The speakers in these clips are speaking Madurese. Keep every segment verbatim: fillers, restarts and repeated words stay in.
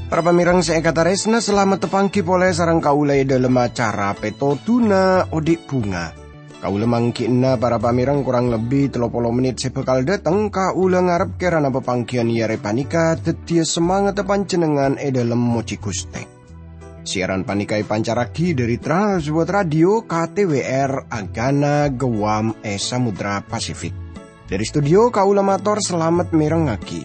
Para pamèrèng sè èkatarèsna, salamet tapangghi polè sareng kaulâ è dhâlem acara Pètodhuna Odi' Bhunga. Kaulâ mangghi'na para pamèrèng korang lebbi tello polo mennit sè bhâkal dhâteng, kaulâ ngarep kèrana papangghiyân è arè panèka dhâddhiyâ samangatta panjhennengngan è dhâlem mojhi Ghustè. Siaran panèka èpancarraghi dhâri Trans World Radio K T W R Agana Guam è Samudra Pasifik. Dhâri studio kaulâ mator salamet mèrengngaghi.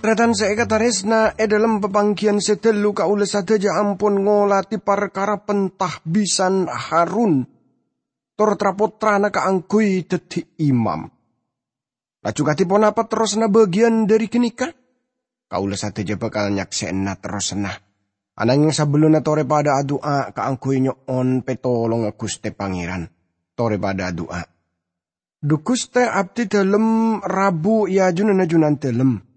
Tarètan sè èkatarèsna, è dhâlem papangghiyân sè ghâllu kaulâ sadhâjâ ampon ngolatè parkara penta bisan Harun tor tra-pottrana kaangghuy dhâddhi imam. Laju kadhi ponapa terrosanna bâgiyân dhâri ghânèka? Kaulâ sadhâjâ bhâkal nyaksè'ana terrosanna. Ananghing sabellunna torè padâ adu'a kaangghuy nyo'on pètolongnga Ghustè Pangèran. Torè padâ adu'a. Dhu Ghustè, abdhi dhâlem rabu è ajunanna Junandhâlem.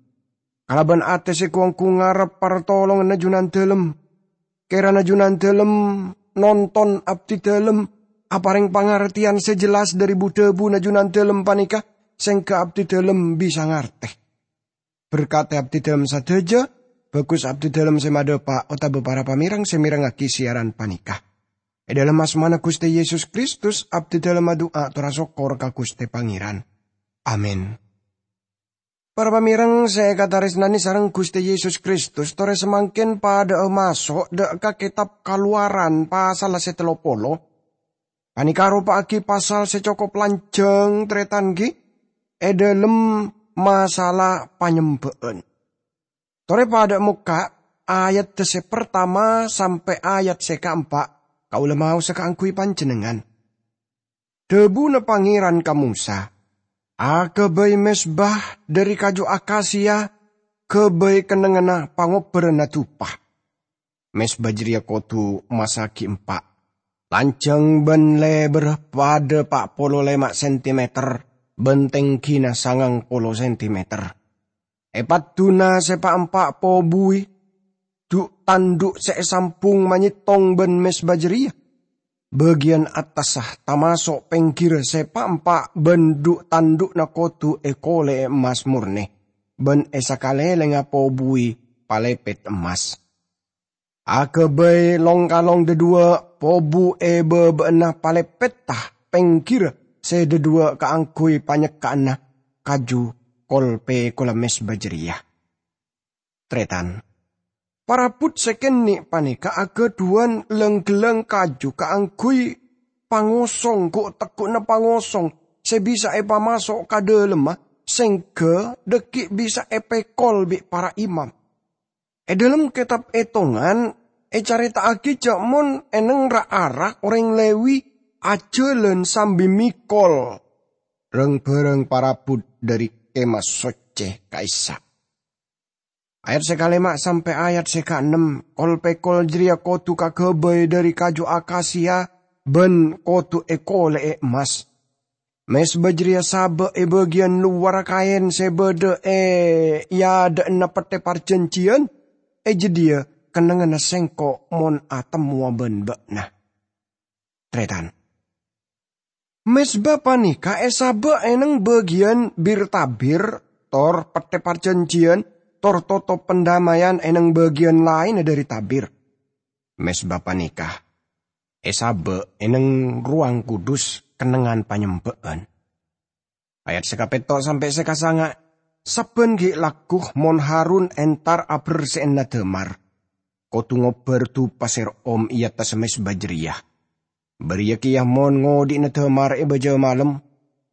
Kalabân atè sè gu-onggu ngarep partolonganna Junandhâlem. Kèrana Junandhâlem nonton abdhi dhâlem, aparèng pangartèyan sè jelas dhâri bu-dhâbuna Junandhâlem panèka, sèngghâ abdhi dhâlem bisa ngartè. Berkadhi abdhi dhâlem sadhâjâ, bhâghus abdhi dhâlem sè madhâpa' otabâ para pamèrèng sè mèrengngaghi siaran panèka. È dhâlem asmana Ghustè Yesus Kristus, abdhi dhâlem adu'a tor asokkor ka Ghustè Pangèran. Amin. Para pamèrèng sè èkatarèsnanè sareng Ghustè Yesus Kristus, torè samangkèn padâ'â maso' dâ' ka Kètab Kalowaran pasalla sè tello polo. Panèka aropa'aghi pasal sè cokop lanjhâng, tarètan, ghi, è dhâlem masalah panyembâ'ân. Torè padâ'â mokka' ayadda sè partama sampè' ayat sè kaempa', kaulâ maosa kaangghuy panjhennengngan. Dhâbuna Pangèran ka Mosa, "Aghâbây mezba dhâri kaju akasia, ghâbây kennengnganna pangobbhârânna dupa. Mezba jârèya kodhu massaghi empa', lanjhâng bân lèbârrâ padâ pa' polo lèma' sentimeter bân tèngghina sangang polo sentimeter. È padduna sè pa'-empa' pobuwi dhu'-tandhu' sè èsambhung manyèttong bân mezba jârèya. Bâgiyân attassa tamaso' pèngghirra sè pa'-empa' bân dhu'-tandhu'na kodhu èkolè'è emmas mornè, bân è sakalèlèngnga pobuwi palèpèt emmas. Aghâbây long-kalong dhâdhuwâ' pobu è bâbâ'na palèpètta pèngghirra sè dhâdhuwâ' kaangghuy panyekka'anna kaju kol-pèkolla mezba jârèya." Tarètan, parabhut sè kènè' panèka aghâdhuwân lang-ghellang kaju kaangghuy pangosong, ghu'-tegghu'na pangosong sè bisa èpamaso' ka dhâlemma, sèngghâ dhâggi' bisa èpèkol bi' para imam. È dhâlem Kètab Ètongan ècarèta'aghi jâ' mon è neng ra-ara orèng Lewi ajhâlân sambi mèkol rang-bhârâng parabhut dhâri Kèma Soccè ka'issa'. Ayat sè kalèma' sampè' ayat sè kaennem, kol-pèkol jârèya kodhu kaghâbây dhâri kaju akasia bân kodhu èkolè'è emmas. Mezba jârèya sabâ' è bâgiyân lowarra kaèn sè bâdâ è, è adâ'na Pettè Parjhânjhiyân, è jâdiyâ kennengnganna Sèngko' mon atemmowa bân bâ'na. Tarètan, mezba panèka èsabâ' è neng bâgiyân bir-tabir, tor Pettè Parjhânjhiyân, tor totop pandammayan è neng bâgiyân laènna dhâri tabir. Mezba panèka èsabâ' è neng Rowang Kudus kennengngan panyembâ'ân. Ayat sè kapètto' sampè' sè kasanga', sabbhân ghi' lagghu mon Harun entar aberse'ana dâmar, kodhu ngobbhâr dupa sè ro'om è attassa mezba jârèya. Bâriyâ kèya mon ngodhi'na dâmar è bâjâ malem,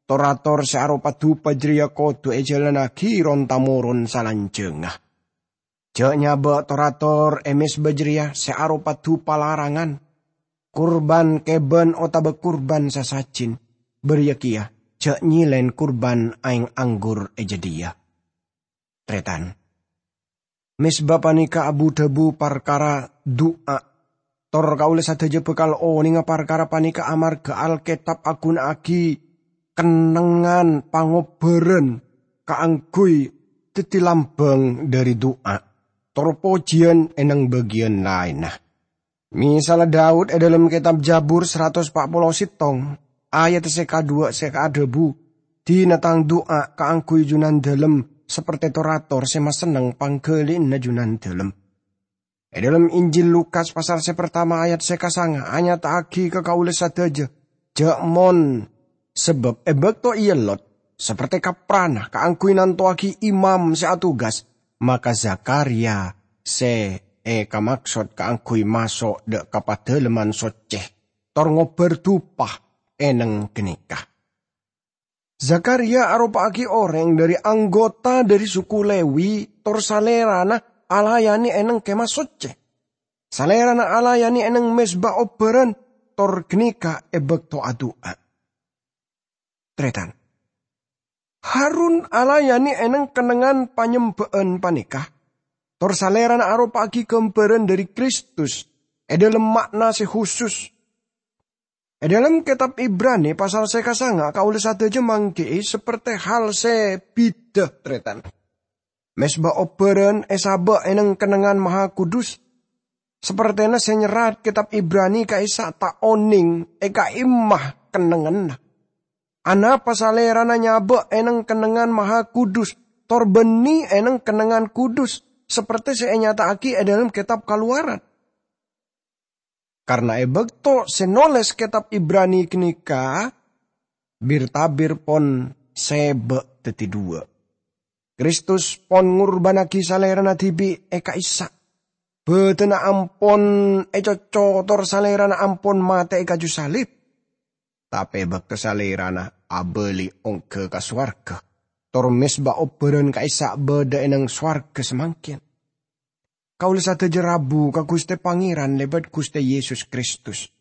tor-ator sè aropa dupa jârèya kodhu èjhâlânnaghi ron-tamoron salanjhângnga. Jhâ' nyabâ' tor-ator è mezba jârèya sè aropa dupa larangan, kurban kèbân otabâ kurban sasajin, bâriyâ kèya jhâ' nyèlèn kurban aèng anggur è jâdiyâ. Tarètan, Mezba panèka abu-dhâbu parkara du'a. Tor kaulâ sadhâjâ bhâkal onènga parkara panèka amarghâ Alkètab aghuna'aghi kennengngan pangobbhârân kaangghuy dhâddhi lambâng dhâri du'a, tor pojiyân è nèng bâgiyân laènna. Misalla Daud è dhâlem Kètab Jabur saratos pa' polo sèttong, ayat sè kadhuwâ' sè adhâbu, "Dina tang du'a kaangghuy Junandâlem saperte tor-ator sè masenneng pangghâli'ânna Junandâlem." È dhâlem Injil Lukas pasal sè partama ayat sè kasanga anyata'aghi ka kaulâ sadhâjâ, jhâ' mon, sabâb è bâkto èellot, saperte kaprana kaangghuy nantowaghi imam sè atogas, maka Zakharia sè èkamaksod kaangghuy maso' dhâ' ka Padâlemman Soccè, tor ngobbhâr dupa è nèng ghânèka. Zakharia aropa'aghi orèng dhâri anggota dhâri suku Lewi, tor salèrana alayanè è nèng Kèma Soccè. Salèrana alayanè è nèng mezba obbhârân, tor ghânèka è bâkto adu'a. Tarètan, Harun alayanè è nèng kennengngan panyembhâ'ân panèka, tor salèrana aropa'aghi ghâmbhârân dhâri Kristus è dhâlem ma'na sè husus. È dhâlem Kètab Ibrani pasal sè kasanga kaulâ sadhâjâ mangghi'i saperte hal sè bidhâ, tarètan. Mezba obbhârân èsabâ' è nèng kennengngan Mahakudus. Sapertena sè nyerrat Kètab Ibrani ka'issa' ta' onèng è ka'imma kennengnganna. Anapa salèrana nyabâ' è nèng kennengngan Mahakudus, tor bânnè è nèng kennengngan kudus, saperte sè ènyata'aghi è dhâlem Kètab Kalowaran? Karna è bâkto sè nolès Kètab Ibrani ghânèka, bir-tabir pon sèbâ' dhâddhi dhuwâ'. Kristus pon ngorbhânnaghi Salèrana dhibi' è ka'issa'. Bhâdhânna ampon ècocco tor Salèrana ampon matè è kaju salib. Tapè bâkto Salèrana abâli ongghâ ka sowarghâ, tor mezba obbhârân ka'issa' bâdâ è nèng sowarghâ samangkèn. Kaulâ sadhâjâ rabu ka Ghustè Pangèran lèbât Ghustè Yesus Kristus.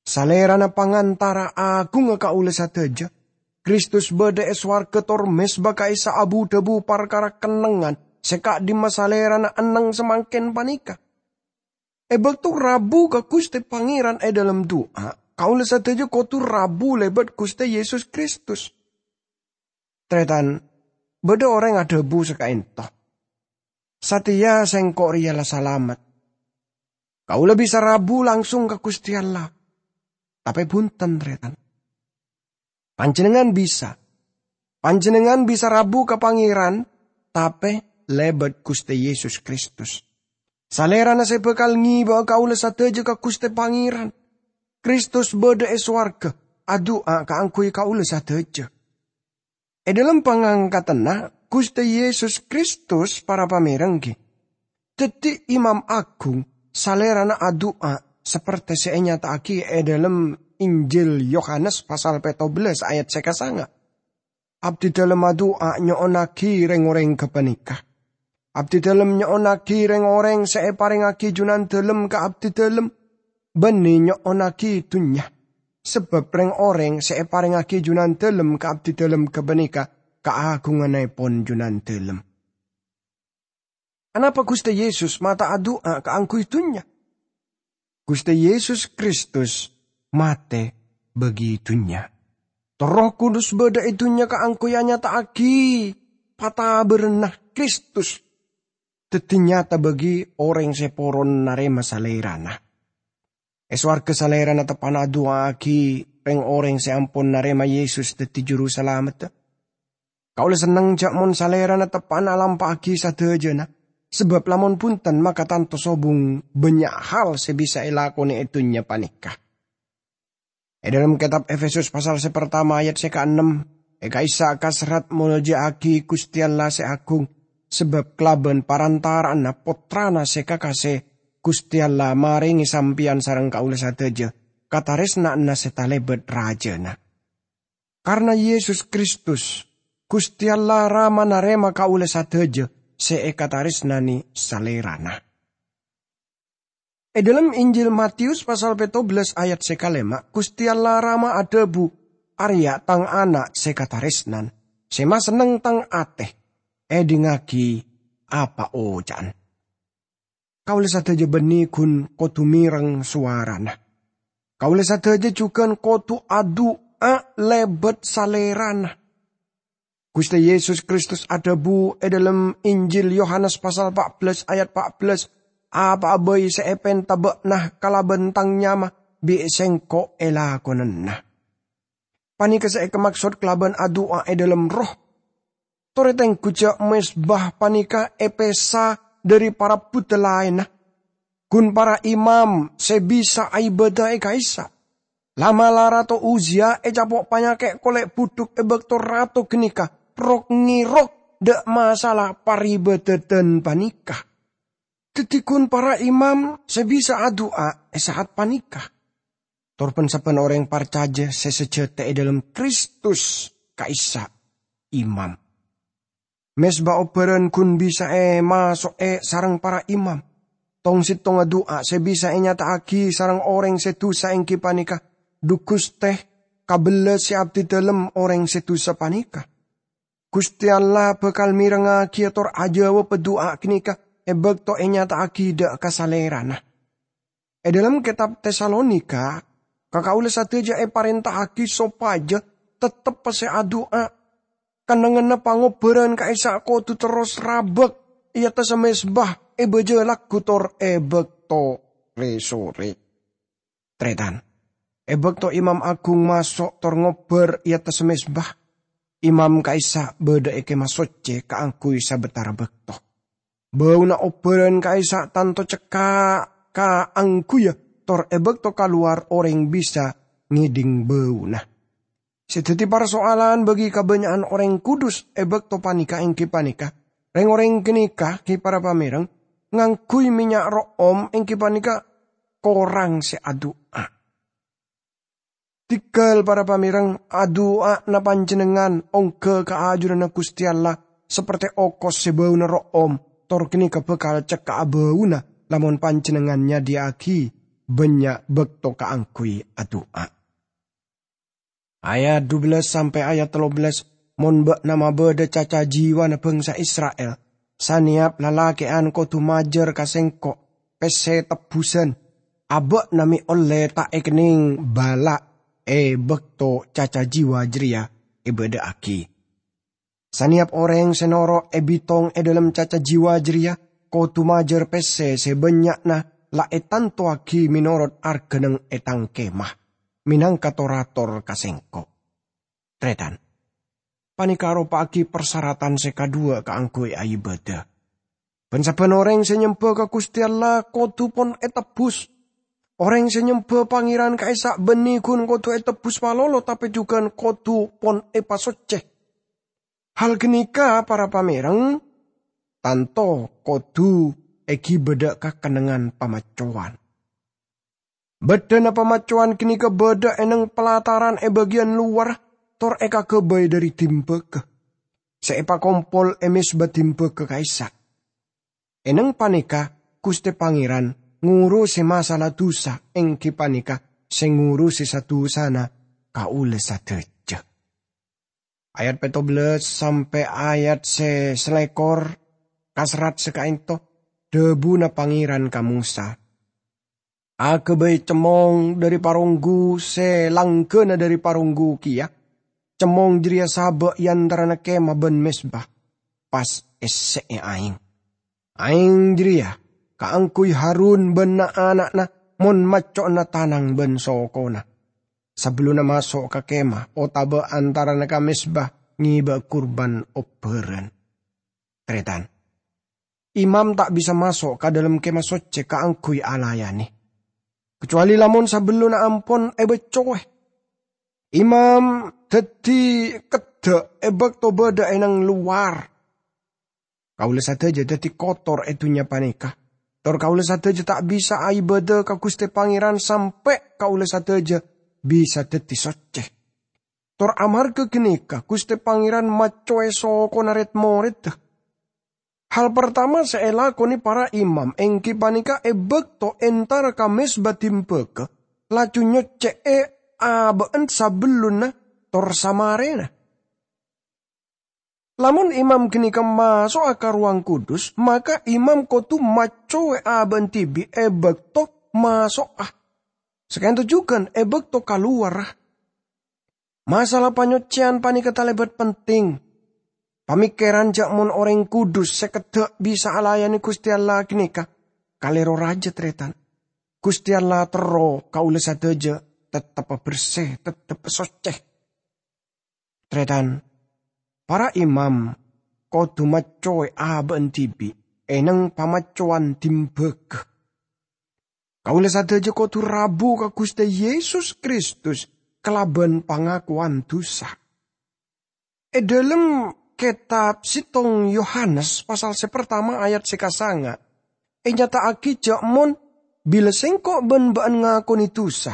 Salèrana pangantara aghungnga kaulâ sadhâjâ. Kristus bâdâ è sowarghâ tor mezba ka'issa' abu-dhâbu parkara kennengngan sè ka'dimma Salèrana enneng samangkèn panèka. È bâkto rabu ka Ghustè Pangèran è dhâlem du'a, kaulâ sadhâjâ kodhu rabu lèbât Ghustè Yesus Kristus. Tarètan, bâdâ orèng adhâbu sakaènto, "Satèya sèngko' rèya la salamet. Kaulâ bisa rabu langsung ka Ghustè Allah." Tapè bhunten, tarètan. Panjhennengngan bisa. Panjhennengngan bisa rabu ka Pangèran, tapè lèbât Ghustè Yesus Kristus. Salèrana sè bhâkal ngèbâ'â kaulâ sadhâjâ ka Ghustè Pangèran. Kristus bâdâ è sowarghâ, adu'a kaangghuy kaulâ sadhâjâ. È dhâlem pangangkatanna Ghustè Yesus Kristus, para pamèreng, ghi, dhâddhi Imam Aghung, Salèrana adu'a saperte sè ènyata'aghi è dhâlem Injil Yohanes pasal pètto bellâs ayat sè kasanga. Abdidhâlem adu'a nyo'onnaghi rèng-orèng ghâpanèka. Abdidhâlem nyo'onnaghi rèng-orèng sè èparèngaghi Junandhâlem ka abdidhâlem, bânnè nyo'onnaghi dhunnya. Sabâb rèng-orèng sè èparèngaghi Junandhâlem ka abdidhâlem ghâpanèka kaaghungannèpon Junandhâlem. Anapa Ghustè Yesus mata' adu'a kaangghuy dhunnya? Ghustè Yesus Kristus matè bagi dhunnya. Tor Erroh Kudus bâdâ è dhunnya kaangghuy anyata'aghi pataberranna Kristus dhâddhi nyata bagi orèng sè poron narèma Salèrana. È sowarghâ Salèrana teppa'na adu'aaghi rèng-orèng sè ampon narèma Yesus dhâddhi Juru Salamedda. Kaulâ senneng jhâ' mon Salèrana teppa'na alampa'aghi sadhâjâna, sabâb lamon bhunten maka tanto sobung bânnya' hal sè bisa èlakonè è dhunnya panèka. È dhâlem kètab Efesus pasal sè partama ayat sè kaennem, è ka'issa' kaserrat molja'aghi Ghustè Allah sè agung, sabâb kalabân parantara'anna Pottrana sè kakasè, Ghustè Allah marèngè sampèyan sareng kaulâ sadhâjâ katarèsna'anna sè talèbât rajâna. Karna Yesus Kristus, Ghustè Allah Rama narèma kaulâ sadhâjâ sè èkatarèsnanè Salèrana. È dhâlem Injil Matius pasal pètto bellâs ayat sè kalèma', Ghustè Allah Rama adhâbu, "Arèya' Tang Ana' sè katarèsnan, sè masenneng Tang atè. Èdingngaghi apa oca'an." Kaulâ sadhâjâ bânnè ghun kodhu mèreng sowarana. Kaulâ sadhâjâ jhughân kodhu adu'a lèbât Salèrana. Ghustè Yesus Kristus adhâbu è dhâlem Injil Yohanes pasal pa' bellâs ayat pa' bellâs, "Apa'a bhâi sè èpènta bâ'na kalabân Tang nyama, bi' Sèngko' èlakonana." Panèka sè èkamaksod kalabân adu'a è dhâlem erroh. Torè tengghu jhâ' mezba panèka èpèsa dhâri para buddhâ laènna. Ghun para imam sè bisa aibâdâ è ka'issa'. La'-mala' Rato Uzia ècapo' panyakè' kolè' budhuk è bâkto rato ghânèka rok-ngèrok dâ' masalah paribâdâdhân panèka. Dhâddhi ghun para imam sè bisa adu'a è sa'at panèka. Tor bân-sabbhân orèng parcajâ sè sajhâtè è dhâlem Kristus ka'issa' imam. Mezba obbhârân ghun bisa èmaso'è sareng para imam. Tong-settongnga du'a sè bisa ènyata'aghi sareng orèng sè dusa èngghi panèka, "Dhu Ghustè, kabellâ sè abdhidhâlem orèng sè dusa panèka." Ghustè Allah bhâkal mèrengngaghi tor ajâwâbbhâ du'a ghânèka è bâkto ènyata'aghi dâ' ka Salèrana. È dhâlem Kètab Tesalonika, ka kaulâ sadhâjâ èparènta'aghi sopajâ tettep pèssè adu'a. Kennengnganna pangobbhârân ka'issa' kodhu terros rabâk è attassa mezba, èbâjâ lagghu tor è bâkto rè-sorè. Tarètan, è bâkto imam aghung maso' tor ngobbhâr è attassa mezba, imam ka'issa' bâdâ è Kèma Soccè kaangghuy sabâtara bâkto. Bâuna obbhârân ka'issa' tanto cekka' kaangghuyyâ, tor è bâkto kalowar orèng bisa ngèdhing bâuna. Sè dhâddhi parsoalan bagi kabânnya'an orèng kudus è bâkto panèka èngghi panèka, rèng-orèng ghânèka, ghi para pamèreng, ngangghuy mènnya' ro'om èngghi panèka korang sè adu'a. Dhingghâl, para pamèreng, adu'ana panjhennengngan ongghâ ka ajunanna Ghustè Allah, sapertè okos sè bâuna ro'om, tor ghânèka bhâkal cekka'a bâuna lamon panjhennengngan nyadhiyâ'aghi bânnya' bâkto kaangghuy adu'a. Ayat dubellâs sampè' ayat tello bellâs, "Mon bâ'na mabâdâ caca jiwana bhângsa Isra'il, sanèyap lalakè'an kodhu majâr ka Sèngko' pèssè tebbhusân, abâ'na mè' ollè ta' èkennèng bâla' è bâkto caca jiwa jârèya èbâdâ'aghi. Sanèyap orèng sè noro' èbitong è dhâlem caca jiwa jârèya kodhu majâr pèssè sè bânnya'na la ètantowaghi mènorot arghâna è Tang Kèma, mènangka tor-ator ka Sèngko'." Tarètan, panèka aropa'aghi parsaratan sè kaduwâ kaangghuy aibâdâ. Bân-sabbhân orèng sè nyembhâ ka Ghustè Allah kodhu pon ètebbhus. Orèng sè nyembhâ Pangèran ka'issa' bânnè ghun kodhu ètebbhus malolo, tapè jhughân kodhu pon èpasoccè. Hal ghânèka, para pamèreng, tanto kodhu èghibâ dâ' ka kennengngan pamaccowan. Bâddhâna pamaccowan ghânèka bâdâ è neng palataran è bâgiyân lowar tor èkaghâbây dhâri dimbâgâ sè èpakompol è mezba dimbâgâ ka'issa'. È neng panèka Ghustè Pangèran ngurusè masalah dusa, èngghi panèka sè ngurusè sa-dusana kaulâ sadhâjâ. Ayat pètto bellâs sampè' ayat sè salèkor, kaserrat sè ka'ènto, dhâbuna Pangèran ka Mosa, "Aghâbây cemmong dhâri paronggu sè langghâna dhâri paronggu kèya. Cemmong jârèya sabâ' è antarana kèma bân mezba, pas èssè'è aèng. Aèng jârèya kaangghuy Harun bân na'-ana'na mon macco'na tanang bân sokona, sabellunna maso' ka kèma otabâ antarana ka mezba ngèbâ kurban obbhârân." Tarètan, imam ta' bisa maso' ka dhâlem Kèma Soccè kaangghuy alayanè, kacowalè lamon sabellunna ampon èbaccowè. Imam dhâddhi keddhâ' è bâkto bâdâ è nang lowar. Kaulâ sadhâjâ dhâddhi kotor è dhunnya panèka. Tor kaulâ sadhâjâ ta' bisa aibâdâ ka Ghustè Pangèran sampè' kaulâ sadhâjâ bisa dhâddhi soccè. Tor amarghâ ghânèka Ghustè Pangèran maccowè sokona red-moredda. Hal partama sè èlakonè para imam èngghi panèka è bâkto entara ka mezba dimbâgâ, laju nyoccè'è abâ'na sabellunna tor samarèna. Lamon imam ghânèka maso'a ka Rowang Kudus, maka imam kodhu maccowè abâ'na dhibi' è bâkto maso'a. Saka'dinto jhughân è bâkto kalowarra. Masalah panyoccèyan panèka talèbât penting. Pamèkkèran jhâ' mon orèng kudus sè keddhâ' bisa alayanè Ghustè Allah ghânèka kalèro rajâ, tarètan. Ghustè Allah terro kaulâ sadhâjâ tettep bersè, tettep soccè. Tarètan, para imam kodhu maccowè abâ'na dhibi' è neng pamaccowan dhimbâghâ. Kaulâ sadhâjâ kodhu rabu ka Ghustè Yesus Kristus kalabân pangakowan dhusa. È dhâlem kètab sèttong Yohanes pasal sè partama ayat sè kasanga', ènyata'aghi jhâ' mon bilâ sèngko' bân bâ'ân ngakonè dhusa,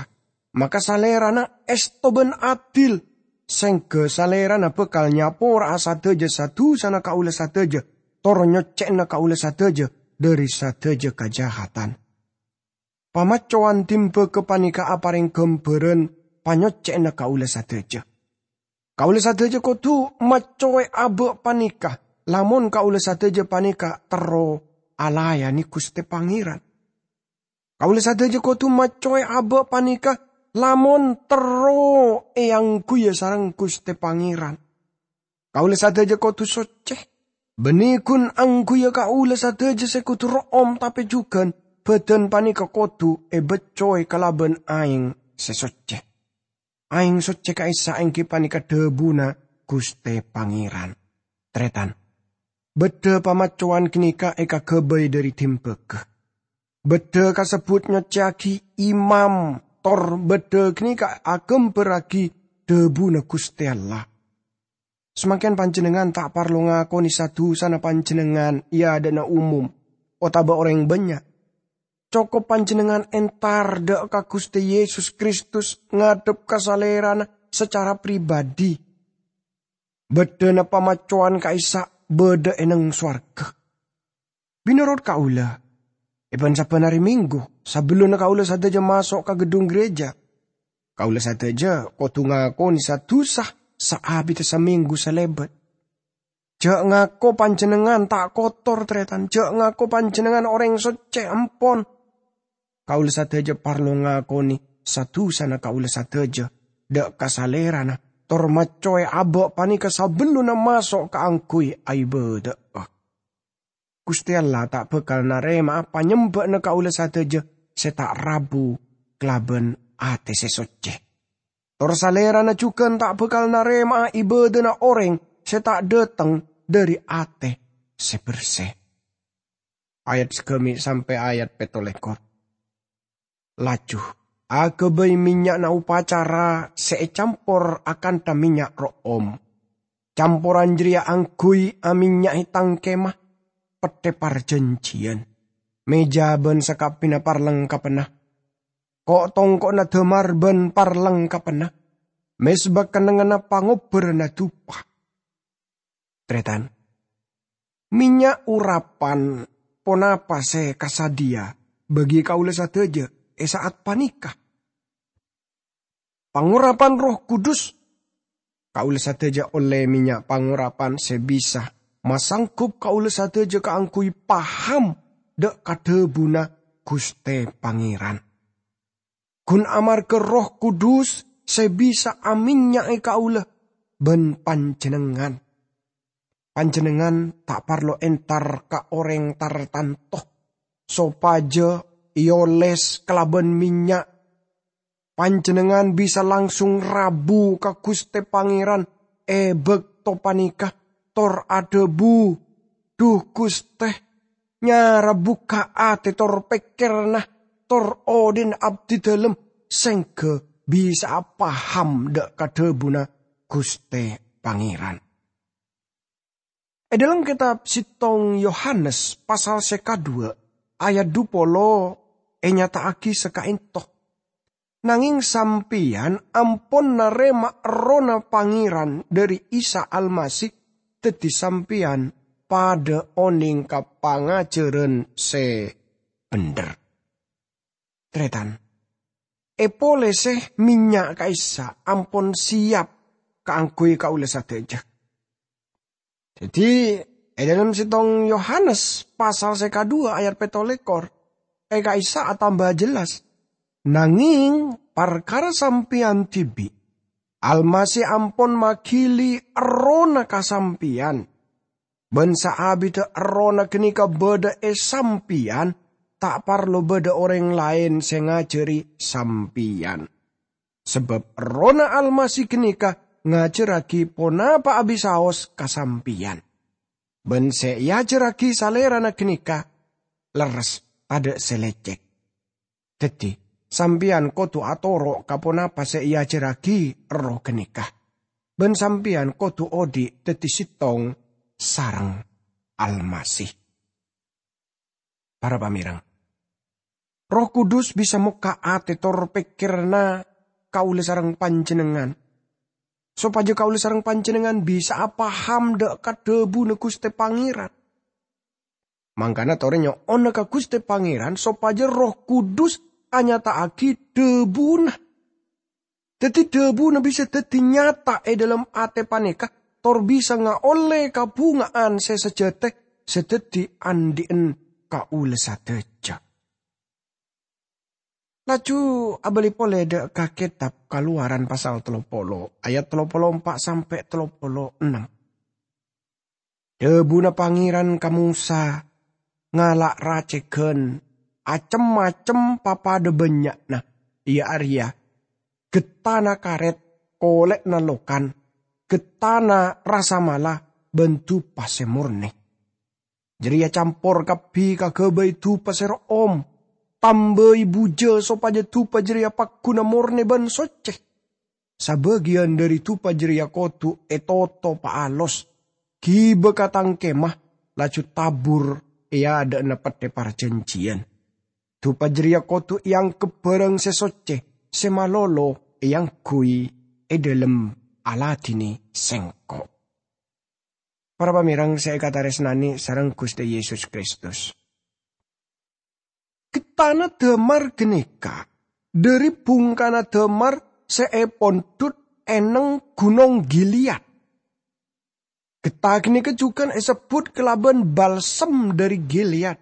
maka Salèrana èsto bân adil, sèngghâ Salèrana bhâkal nyapora'a sadhâjâ sa-dhusana kaulâ sadhâjâ, tor nyoccè'ana kaulâ sadhâjâ dhâri sadhâjâ kajahatan. Pamaccowan dhimbâghâ panèka aparèng ghâmbhârân panyoccè'anna kaulâ sadhâjâ. Kaulâ sadhâjâ kodhu maccowè abâ' panèka, lamon kaulâ sadhâjâ panèka terro alayanè Ghustè Pangèran. Kaulâ sadhâjâ kodhu maccowè abâ' panèka, lamon terro èangghuya sareng Ghustè Pangèran. Kaulâ sadhâjâ kodhu soccè. Bânnè ghun angghuya kaulâ sadhâjâ sè kodhu ro'om, tapè jhughân bhâdhân panèka kodhu èbâccowè kalabân aèng sè soccè. Aèng soccè ka'issa' èngghi panèka dhâbuna Ghustè Pangèran. Tarètan, bâdâ pamaccowan ghânèka èkaghâbây dhâri dhimbâghâ. Bâdâ kasebbhut nyoccèyaghi imam, tor bâdâ ghânèka aghâmbhârraghi dhâbuna Ghustè Allah. Samangkèn panjhennengngan ta' parlo ngakonè sa-dhusana panjhennengngan è adâ'na umum otabâ orèng bânnya'. Cokop panjhennengngan entar dâ' ka Ghustè Yesus Kristus ngadhep ka Salèrana sacara pribadi. Bâdâna pamaccowan ka'issa' bâdâ è neng sowarghâ. Mènorot kaulâ, è bân-sabbhân arè Minggu, sabellunna kaulâ sadhâjâ maso' ka geddhung gereja, kaulâ sadhâjâ kodhu ngakonè sa-dhusa saabidda samènggu salèbât. Jhâ' ngako panjhennengngan ta' kotor, tarètan. Jhâ' ngako panjhennengngan orèng soccè, empon. Kaulâ sadhâjâ parlo ngakonè sa-dhusana kaulâ sadhâjâ dâ' ka Salèrana, tor maccowè abâ' panèka sabellunna maso' kaangghuy aibâdâ'â. Ghustè Allah ta' bhâkal narèma'a panyembhâ'na kaulâ sadhâjâ sè ta' rabu kalabân atè sè soccè. Tor Salèrana jhughân ta' bhâkal narèma'a ibâdâna orèng sè ta' dâteng dhâri atè sè bersè. Ayat sagâmè' sampè' ayat pètto lèkor. Laju aghâbây mènnya'na opacara sè ècampor akantha mènnya' ro'om. Camporan jârèya angghuy amènnya'è tang kemah, pettè parjhânjhiyân, mèja bân sakabbhiyânna parlengkabhânna, ko'-tongko'na dâmar bân parlengkabhânna, mezba kennengnganna pangobbhârânna dupa. Tarètan, mènnya' orapan ponapa sè kasadhiyâ bagi kaulâ sadhâjâ è sa'at panèka? Pangorapan Erroh Kudus. Kaulâ sadhâjâ ollè mènnya' pangorapan sè bisa masanggup kaulâ sadhâjâ kaangghuy paham dâ' ka dhâbuna Ghustè Pangèran. Ghun amarghâ Erroh Kudus sè bisa amènnya'è kaulâ bân panjhennengngan. Panjhennengngan ta' parlo entar ka orèng tartanto sopajâ èoles kalabân mènnya'. Panjhennengngan bisa langsung rabu ka Ghustè Pangèran è bâkto panèka, tor adhâbu, "Dhu Ghustè, nyara bukka' atè tor pèkkèranna, tor odhi'na abdhi dhâlem, sèngghâ bisa'a paham dâ' ka dhâbuna Ghustè Pangèran." È dhâlem kètab sèttong Yohanes pasal sè kadhuwâ' ayat dhu polo ènyata'aghi sakaènto, "Nangèng sampèyan ampon narèma Errohna Pangèran dhâri Isa Almasih, dhâddhi sampèyan padhâ onèng ka pangajhârân sè bhendher." Tarètan, èpolèsè mènnya' ka'issa' ampon siyap kaangghuy kaulâ sadhâjâ. Dhâddhi, è dhâlem settong Yohanes pasal sè kadhuwâ ayat pètto lèkor, è ka'issa' atamba jelas, "Nangèng parkara sampèyan dhibi', Almasih ampon magili Errohna ka sampèyan. Bân saabiddhâ Errohna ghânèka bâdâ è sampèyan, ta' parlo bâdâ orèng laèn sè ngajhâri sampèyan. Sabâb Errohna Almasih ghânèka ngajhârraghi ponapa abisaos ka sampèyan. Bân sè èajhârraghi Salèrana ghânèka lerres, tadâ' sè lècèk. Dhâddhi, sampèyan kodhu atoro' ka ponapa sè èajhârraghi Erroh ghânèka. Bân sampèyan kodhu odi' dhâddhi settong sareng Almasih." Para pamèrèng, Erroh Kudus bisa mokka' atè tor pèkkèranna kaulâ sareng panjhennengngan, sopajâ kaulâ sareng panjhennengngan bisa'a paham dâ' ka dhâbuna Ghustè Pangèran. Mangkana torè nyo'ona ka Ghustè Pangèran sopajâ Erroh Kudus anyata'aghi dhâbuna. Dhâddhi, dhâbuna bisa dhâddhi nyata è dhâlem atè panèka, tor bisa ngaollè kabhungaan sè sajhâtè sè dhâddhi andi'en kaulâ sadhâjâ. Laju abâli polè dâ' ka kètab Kalowaran pasal tello polo, ayat tello polo empa' sampè' tello polo ennem. Dhâbuna Pangèran ka Mosa ngala' racèghân acem-macem papadâ bânnya'na, iyâ arèya ghettana karèt, kolè'na lokan, ghettana rasa mala, bân dupa sè mornè. Jârèya campor kabbhi kaghâbây dupa sè ro'om, tambâi bujâ sopajâ dupa jârèya pagghuna mornè bân soccè. Sabâgiyân dhâri dupa jârèya kodhu ètoto paalos, ghibâ ka Tang Kemah, laju tabur è adâ'na Pettè Parjhânjhiyân. Dupa jârèya kodhu èangghep bhârâng sè soccè, sè malolo èangghuy è dhâlem aladhinè Sèngko'. Para pamèrèng sè èkatarèsnanè sareng Ghustè Yesus Kristus. Ghettana dâmar ghânèka dhâri bhungkana dâmar sè èpondhut è neng Ghunong Gilead. Ghetta ghânèka jhughân èsebbhut kalabân balsem dhâri Gilead.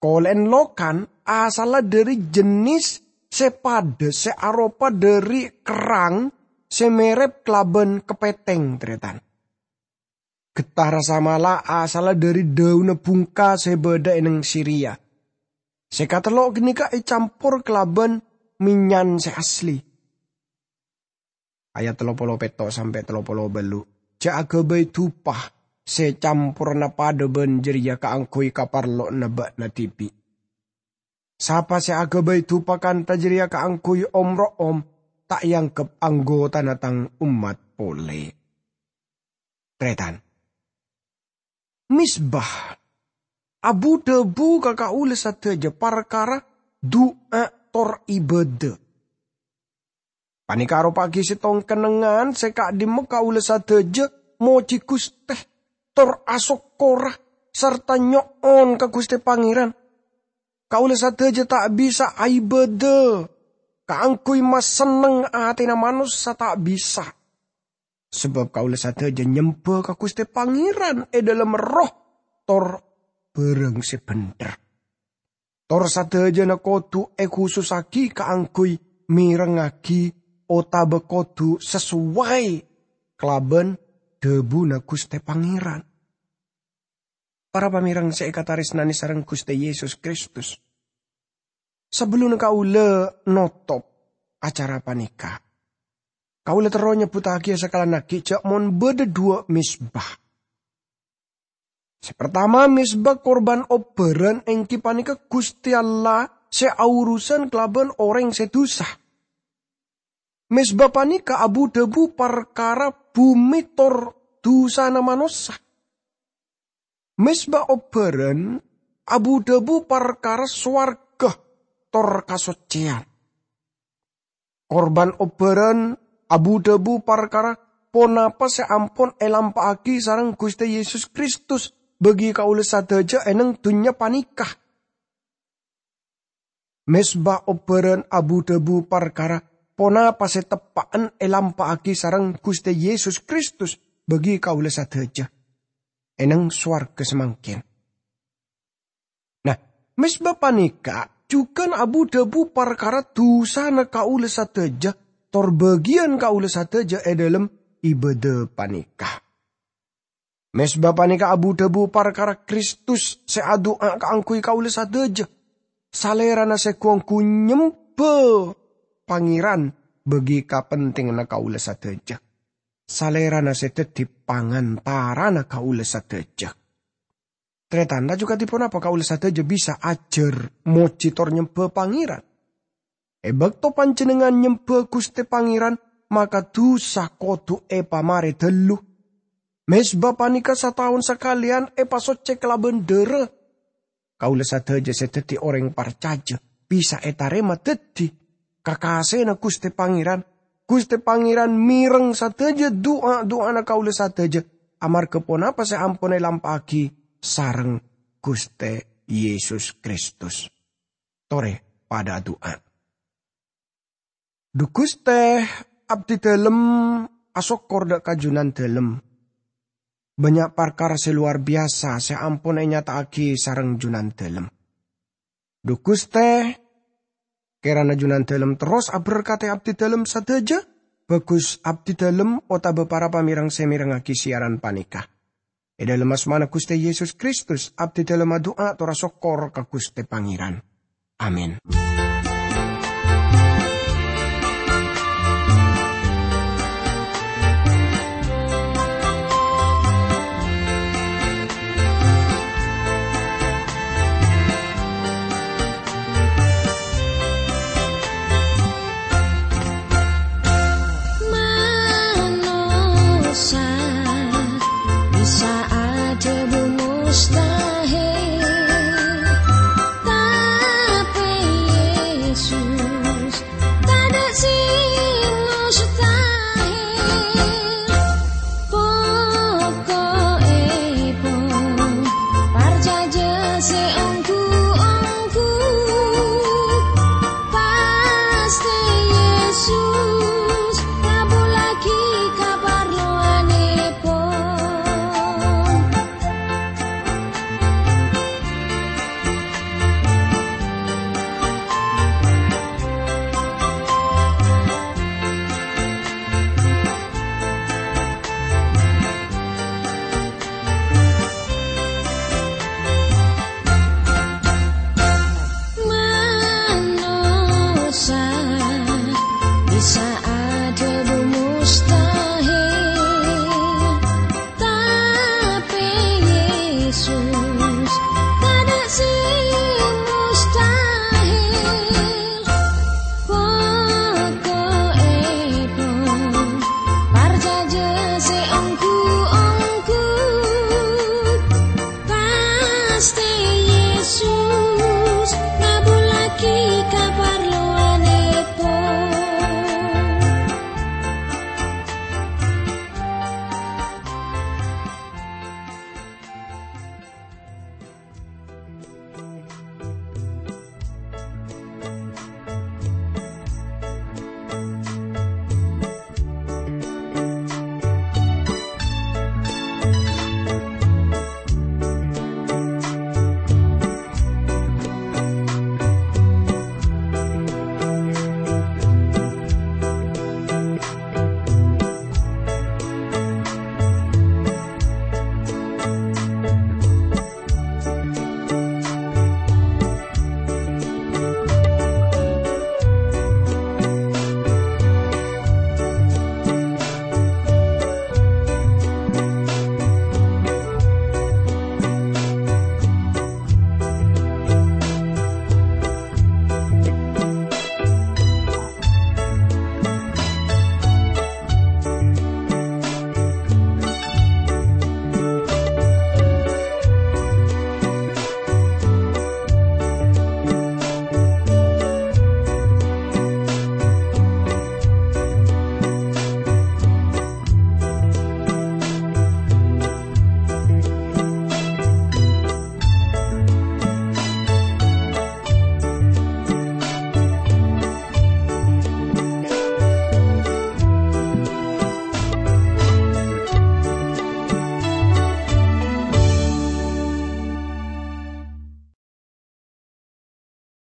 Kolè'en lokan asalla dhâri jennis sè padâ sè aropa dhâri kerrang sè merep kalabân kapètèng, tarètan. Ghetta rasa mala asalla dhâri dhâunna bhungka sè bâdâ è neng Siria, sè katello' ghânèka ècampor kalabân mennyan sè asli. Ayat tello polo pètto' sampè' tello polo bâllu'. Jhâ' aghâbây dupa sè camporra padâ bân jârèya kaangghuy kaparlowanna bâ'na dhibi'. Sapa sè aghâbây dupa kantha jârèya kaangghuy om-ro'om, ta' èangghep anggotana tang ommat polè. Tarètan. Mezbah abu-dhâbu ka kaulâ sadhâjâ parkara du'a tor ibâdâ. Panèka aropa'aghi settong kennengngan sè ka'dhimma kaulâ sadhâjâ mojhi Ghustè, tor asokkora sarta nyo'on ka Ghustè Pangèran. Kaulâ sadhâjâ ta' bisa aibâdâ kaangghuy masenneng atèna manossa, ta' bisa. Sabâb kaulâ sadhâjâ nyembâ ka Ghustè Pangèran è dhâlem erroh tor bhârâng sè bhendher. Tor sadhâjâna kodhu èkhusussaghi kaangghuy mèrengngaghi otabâ kodhu sasowai kalabân dhâbuna Ghustè Pangèran. Para pamèrèng sè èkatarèsnanè sareng Ghustè Yesus Kristus, sabellunna kaulâ notop acara panèka, kaulâ terro nyebbhuttaghi sakalangngaghi jhâ' mon bâdâ dhuwâ' mezbah. Sè partama, mezbah korban obbhârân èngghi panèka Ghustè Allah sè aorusan kalabân orèng sè dhusa. Mezbah panèka abu-dhâbu parkara bhumè tor dhusana manossa. Mezbah obbhârân abu-dhâbu parkara sowarghâ tor kasoccèyan. Korban obbhârân abu-dhâbu parkara ponapa sè ampon èlampa'aghi sareng Ghustè Yesus Kristus bagi kaulâ sadhâjâ è neng dhunnya panèka. Mezbah obbhârân abu-dhâbu parkara ponapa sè teppa'en èlampa'aghi sareng Ghustè Yesus Kristus bagi kaulâ sadhâjâ. è neng sowarga samangkèn. Nah, mezba panèka jhughân abu-dhâbu parkara dhusana kaulâ sadhâjâ, tor bâgiyân kaulâ sadhâjâ è dhâlem ibâdâ panèka. Mezba panèka abu-dhâbu parkara Kristus sè adu'a kaangghuy kaulâ sadhâjâ. Salèrana sè ghu-ongghu nyembhâ Pangèran bâgi kapentinganna kaulâ sadhâjâ. Salèrana sè dhâddhi pangantarana kaulâ sadhâjâ. Tarètan, laju kadhi ponapa kaulâ sadhâjâ bisa ajhâr mojhi tor nyembhâ Pangèran? È bâkto panjhennengngan nyembhâ Ghustè Pangèran, maka dhusa kodhu èpamarè dhâllu. Mezba panèka sataon sakalèyan èpasoccè kalabân dhârâ. Kaulâ sadhâjâ sè dhâddhi orèng parcajâ bisa ètarèma dhâddhi kakasèna Ghustè Pangèran. Ghustè Pangèran mèreng sadhâjâ du'a-du'ana kaulâ sadhâjâ, amarghâ ponapa sè ampon èlampa'aghi sareng Ghustè Yesus Kristus. Torè padâ adu'a. Dhu Ghustè, abdhi dhâlem asokkor dâ' ka Jhunandhâlem. Bânnya' parkara sè lowar biyasa sè ampon ènyata'aghi sareng Jhunandhâlem. Dhu Ghustè, kèrana Jhunandhâlem terros aberkadhi abdhi dhâlem sadhâjâ, bhâghus abdhi dhâlem otabâ para pamèreng sè mèrengngaghi siyaran panèka. È dhâlem asmana Ghustè Yesus Kristus, abdhi dhâlem adu'a tor asokkor ka Ghustè Pangèran. Amin. Manossa bisa aja bumusta.